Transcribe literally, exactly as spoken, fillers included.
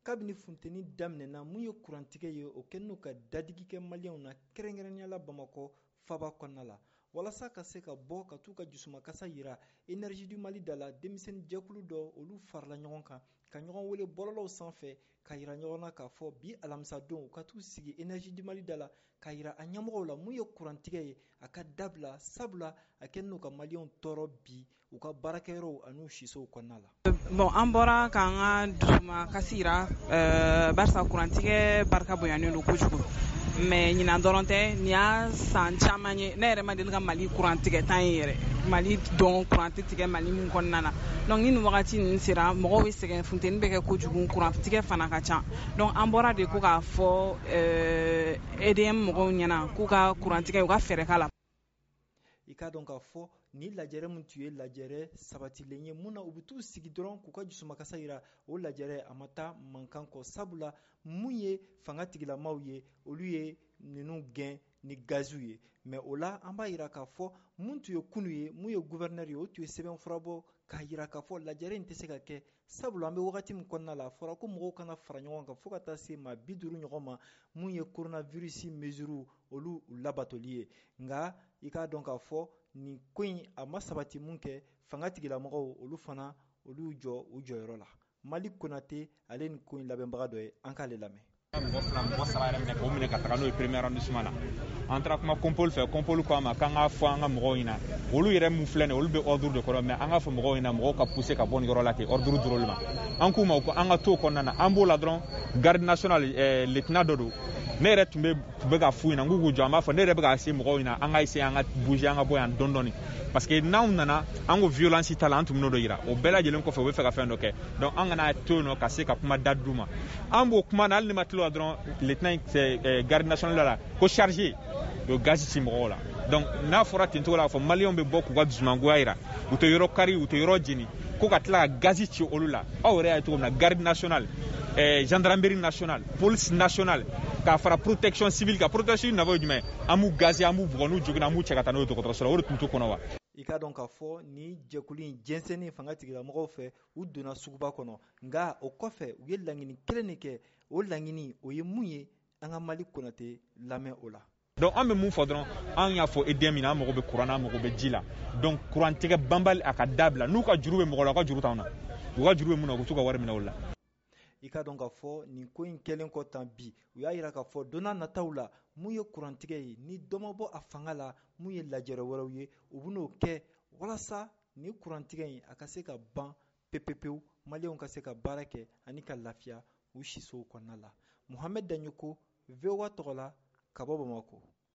Kabini funteni daminɛna, mun ye kurantigɛ ye, o kɛlen n'u ka dadigi kɛ Maliyɛnw na, kɛrɛnkɛrɛnnenya la Bamakɔ faba kɔnɔna la. Walasa ka se ka bɔ ka t'u ka jusumakasa yira Énergie du Mali da la, denmisɛnnin jɛkulu dɔ, olu farala ɲɔgɔn kan ka ɲɔgɔn wele bɔlɔlɔw sanfɛ, ka yira ɲɔgɔn na k'a fɔ bi alamisadon u ka t'u sigi Énergie du Mali da la, ka yira a ɲɛmɔgɔw la mun ye kurantigɛ ye, a ka dabila, sabula a kɛlen n'u ka Maliyɛnw tɔɔrɔ bi u ka baarakɛyɔrɔw an'u sisow kɔnɔna la. Bon, an bɔra k'an ka dusuma kasi yira euh, barisa kurantigɛ barika bonyanen don kojugu. Mais ɲinan dɔrɔn tɛ, nin y'a san caman ye. Ne yɛrɛ ma deli ka Mali kurantigɛ tan ye yɛrɛ, Mali dɔn kuran tɛ tigɛ Mali min kɔnɔna na. Donc ni nin wagati ninnu sera, mɔgɔw bɛ sɛgɛn, funteni bɛ kɛ kojugu, kurantigɛ fana ka ca. Donc an bɔra de ko k'a fɔ euh, E D M mɔgɔw ɲɛna k'u ka kurantigɛ, u ka fɛɛrɛ k'a la. I k'a dɔn k'a fɔ ni lajɛrɛ min tun ye lajɛrɛ sabatilen ye, mun na u bɛ t'u sigi dɔrɔn k'u ka jusumakasa yira, o lajɛrɛ a ma taa mankan kɔ, sabula mun ye fanga tigilamaw ye, olu ye ninnu gɛn ni gaziw ye. Mais o la, an b'a yira k'a fɔ mun tun ye kunu ye, mun ye gouverneur ye, o tun ye sɛbɛn fura bɔ k'a yira k'a fɔ lajɛrɛ in tɛ se ka kɛ, sabula an bɛ wagati min kɔnɔna la, a fɔra ko mɔgɔw kana fara ɲɔgɔn kan fo ka taa se maa bi duuru ɲɔgɔn ma, mun ye coronavirus mesure olu labatoli ye. Nka i k'a dɔn k'a fɔ nin ko in a ma sabati. Mun kɛ fanga tigilamɔgɔw, olu fana, olu jɔ u jɔyɔrɔ la. Mali Konate, ale ni ko in labɛnbaga dɔ ye, an k'ale lamɛn. Mɔgɔ fila, mɔgɔ saba yɛrɛ minɛ k'o minɛ ka taga n'o ye premier arrondissement na. An taara kuma compol fɛ. Compol ko an ma k'an k'a fɔ an ka mɔgɔw ɲɛna, olu yɛrɛ mun filɛ nin ye, olu bɛ ordre de kɔrɔ, mais an k'a fɔ mɔgɔw ɲɛna, mɔgɔw ka pousser ka bɔ nin yɔrɔ la ten. Ordre dir'olu ma, an k'u ma ko an ka t'o kɔnɔna na. An b'o la dɔrɔn, garde nationale eh, lieutenant dɔ don, ne yɛrɛ tun bɛ tun bɛ ka f'u ɲɛna k'u k'u jɔ. An b'a fɔ ne yɛrɛ bɛ ka se mɔgɔw ɲɛna, an ka essayer an ka bouger, an ka bɔ yan dɔɔni dɔɔni, parce que n'anw nana an ko violence t'a la, an tun bɛn'o dɔ yira. O bɛɛ lajɛlen kɔfɛ, u bɛ fɛ ka fɛn dɔ kɛ. Donc an kana to yen nɔ ka se ka kuma da d'u ma. An b'o kuma na, hali ni ma tila dɔrɔn, lieutenant garde nationale la ko chargé o ye gazi ci mɔgɔw la. Donc n'a fɔra ten cogo la, k'a fɔ Maliyɛnw bɛ bɔ k'u ka dusumangoya yira, u tɛ yɔrɔ kari, u tɛ yɔrɔ jeni, ko ka tila ka gazi ci olu la. Aw yɛrɛ y'a ye cogo min na, garde nationale, eh, gendarmerie nationale, police nationale, k'a fara protection civile kan. Protection civile nafa ye jumɛn? An b'u gazi, an b'u bugɔ, n'u joginna, an b'u cɛ ka taa n'o ye dɔgɔtɔrɔso la. O de tun t'u kɔnɔ wa? I k'a dɔn k'a fɔ ni jɛkulu in jɛnsɛnni fanga tigilamɔgɔw fɛ, u donna suguba kɔnɔ. Nka o kɔfɛ, u ye laɲini kelen de kɛ. O laɲini o ye mun ye? An ka Mali Konate lamɛn o la. Donc an bɛ mun fɔ dɔrɔn? An y'a fɔ E D M na, an mago bɛ kuran na, an mago bɛ ji la. Donc kurantigɛ banbali, a ka dabila. N'u ka juru bɛ mɔgɔ la, u ka juru t'anw na. U ka juru bɛ mun na, u bɛ t'u ka wari minɛ o la. I ka dɔn k'a fɔ nin ko in kɛlen kɔ tan bi, u y'a yira k'a fɔ don n'a nataw la, mun ye kurantigɛ ye, ni dɔ ma bɔ a fanga la, mun ye lajɛrɛ wɛrɛw ye, u bɛn'o kɛ walasa ni kurantigɛ in a ka se ka ban pepepewu, Maliyɛnw ka se ka baara kɛ ani ka lafiya u sisow kɔnɔna la. Muhamɛd Daɲoko, V O A tɔgɔ la, ka bɔ Bamakɔ.